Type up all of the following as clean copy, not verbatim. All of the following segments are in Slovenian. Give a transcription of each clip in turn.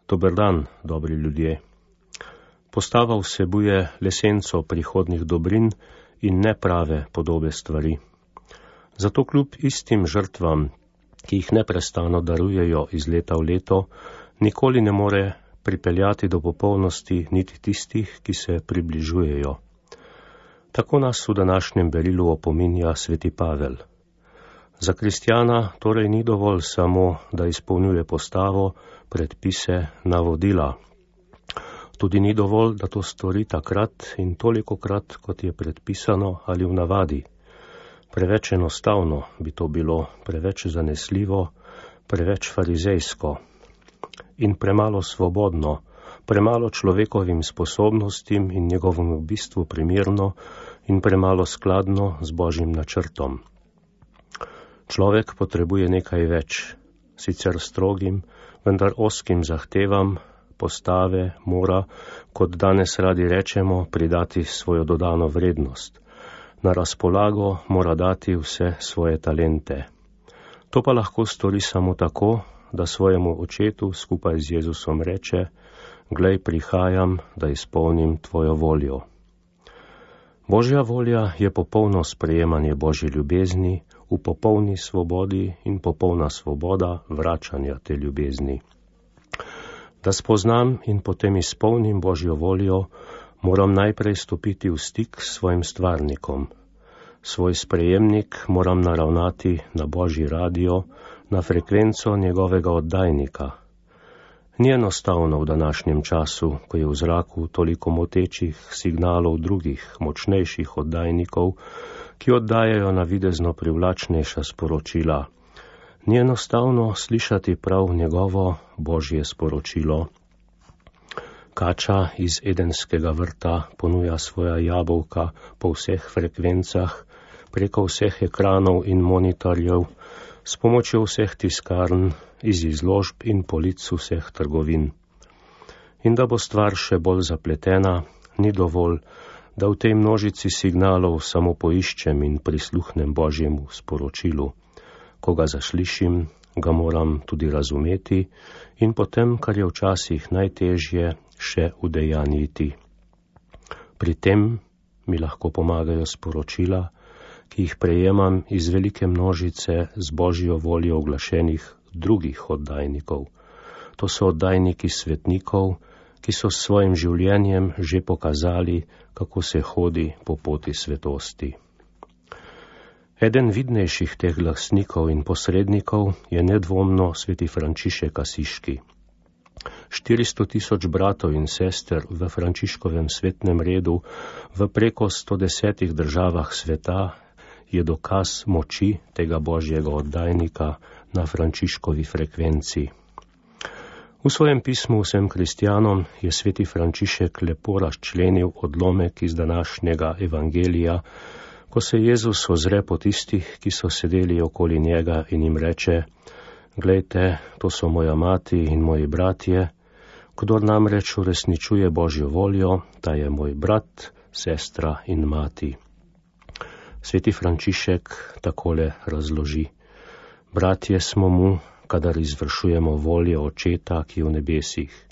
Dober dan, dobri ljudje. Postava vsebuje lesenco prihodnih dobrin in neprave podobe stvari. Zato kljub istim žrtvam, ki jih neprestano darujejo iz leta v leto, nikoli ne more pripeljati do popolnosti niti tistih, ki se približujejo. Tako nas v današnjem berilu opominja sveti Pavel. Za kristjana torej ni dovolj samo, da izpolnjuje postavo, predpise, navodila. Tudi ni dovolj, da to stori takrat in tolikokrat, kot je predpisano ali v navadi. Preveč enostavno bi to bilo, preveč zanesljivo, preveč farizejsko in premalo svobodno, premalo človekovim sposobnostim in njegovemu bistvu primerno in premalo skladno z Božjim načrtom. Človek potrebuje nekaj več, sicer strogim, vendar ozkim zahtevam, postave mora, kot danes radi rečemo, pridati svojo dodano vrednost. Na razpolago mora dati vse svoje talente. To pa lahko stori samo tako, da svojemu očetu skupaj z Jezusom reče: glej, prihajam, da izpolnim tvojo voljo. Božja volja je popolno sprejemanje Božje ljubezni v popolni svobodi in popolna svoboda vračanja te ljubezni. Da spoznam in potem izpolnim Božjo voljo, moram najprej stopiti v stik s svojim stvarnikom. Svoj sprejemnik moram naravnati na Božji radio, na frekvenco njegovega oddajnika. Ni enostavno v današnjem času, ko je v zraku toliko motečih signalov drugih, močnejših oddajnikov, ki oddajajo navidezno privlačnejša sporočila. Ni enostavno slišati prav njegovo Božje sporočilo. Kača iz Edenskega vrta ponuja svoja jabolka po vseh frekvencah, preko vseh ekranov in monitorjev, s pomočjo vseh tiskarn, iz izložb in polic vseh trgovin. In da bo stvar še bolj zapletena, ni dovolj, da v tej množici signalov samo poiščem in prisluhnem Božjemu sporočilu. Ko ga zaslišim, ga moram tudi razumeti in potem, kar je včasih najtežje, še udejanjiti. Pri tem mi lahko pomagajo sporočila, ki jih prejemam iz velike množice z Božjo voljo oglašenih drugih oddajnikov. To so oddajniki svetnikov, ki so s svojim življenjem že pokazali, kako se hodi po poti svetosti. Eden vidnejših teh glasnikov in posrednikov je nedvomno sveti Frančišek Asiški. 400 000 bratov in sester v Frančiškovem svetnem redu v preko 110 državah sveta je dokaz moči tega Božjega oddajnika na Frančiškovi frekvenci. V svojem pismu vsem kristjanom je sveti Frančišek lepo razčlenil odlomek iz današnjega evangelija, ko se Jezus ozre po tistih, ki so sedeli okoli njega in jim reče: glejte, to so moja mati in moji bratje, kdor namreč uresničuje Božjo voljo, ta je moj brat, sestra in mati. Sveti Frančišek takole razloži: bratje smo mu, kadar izvršujemo voljo Očeta, ki je v nebesih.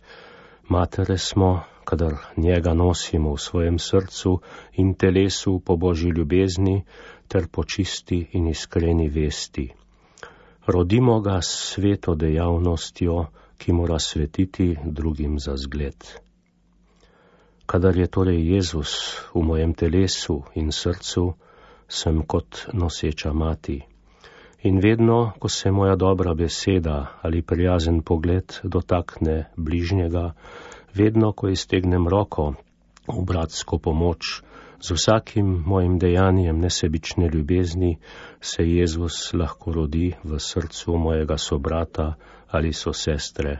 Matere smo, kadar njega nosimo v svojem srcu in telesu po Božji ljubezni ter po čisti in iskreni vesti. Rodimo ga s sveto dejavnostjo, ki mora svetiti drugim za zgled. Kadar je torej Jezus v mojem telesu in srcu, sem kot noseča mati. In vedno, ko se moja dobra beseda ali prijazen pogled dotakne bližnjega, vedno, ko iztegnem roko v bratsko pomoč, z vsakim mojim dejanjem nesebične ljubezni, se Jezus lahko rodi v srcu mojega sobrata ali sestre.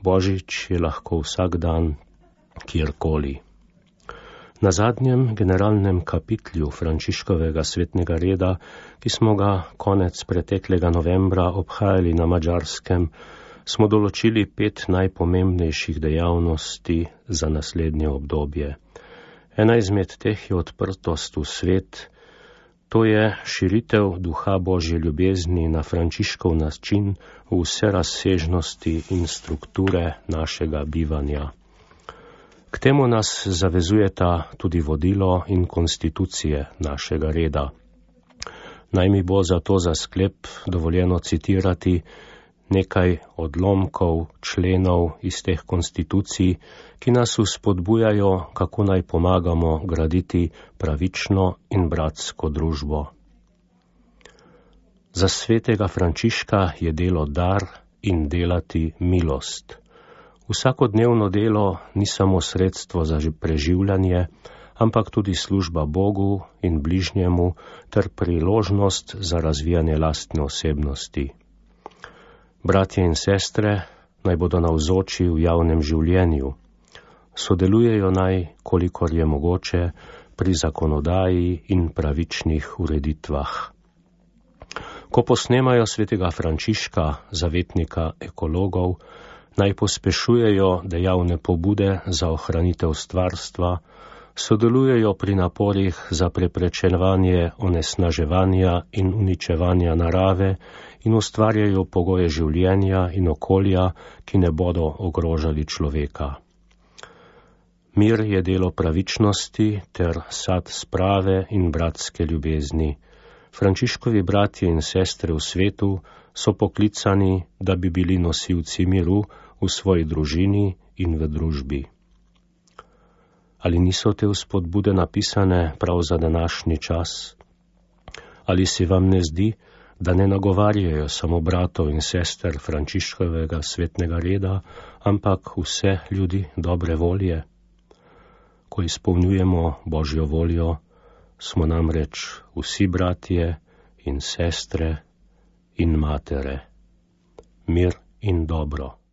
Božič je lahko vsak dan, kjerkoli. Na zadnjem generalnem kapitlju Frančiškovega svetnega reda, ki smo ga konec preteklega novembra obhajali na Madžarskem, smo določili 5 najpomembnejših dejavnosti za naslednje obdobje. Ena izmed teh je odprtost v svet, To je širitev duha Božje ljubezni na Frančiškov način v vse razsežnosti in strukture našega bivanja. K temu nas zavezujeta tudi vodilo in konstitucije našega reda. Naj mi bo zato za sklep dovoljeno citirati nekaj odlomkov členov iz teh konstitucij, ki nas vzpodbujajo, kako naj pomagamo graditi pravično in bratsko družbo. Za svetega Frančiška je delo dar in delati milost. Vsakodnevno delo ni samo sredstvo za preživljanje, ampak tudi služba Bogu in bližnjemu ter priložnost za razvijanje lastne osebnosti. Bratje in sestre naj bodo navzoči v javnem življenju. Sodelujejo naj, kolikor je mogoče, pri zakonodaji in pravičnih ureditvah. Ko posnemajo svetega Frančiška, zavetnika ekologov, naj pospešujejo dejavne pobude za ohranitev stvarstva, sodelujejo pri naporih za preprečevanje onesnaževanja in uničevanja narave in ustvarjajo pogoje življenja in okolja, ki ne bodo ogrožali človeka. Mir je delo pravičnosti ter sad sprave in bratske ljubezni. Frančiškovi bratje in sestre v svetu so poklicani, da bi bili nosilci miru v svoji družini in v družbi. Ali niso te vzpodbude napisane prav za današnji čas? Ali se vam ne zdi, da ne nagovarjajo samo bratov in sester Frančiškovega svetnega reda, ampak vse ljudi dobre volje? Ko izpolnjujemo Božjo voljo, smo namreč vsi bratje in sestre in matere. Mir in dobro.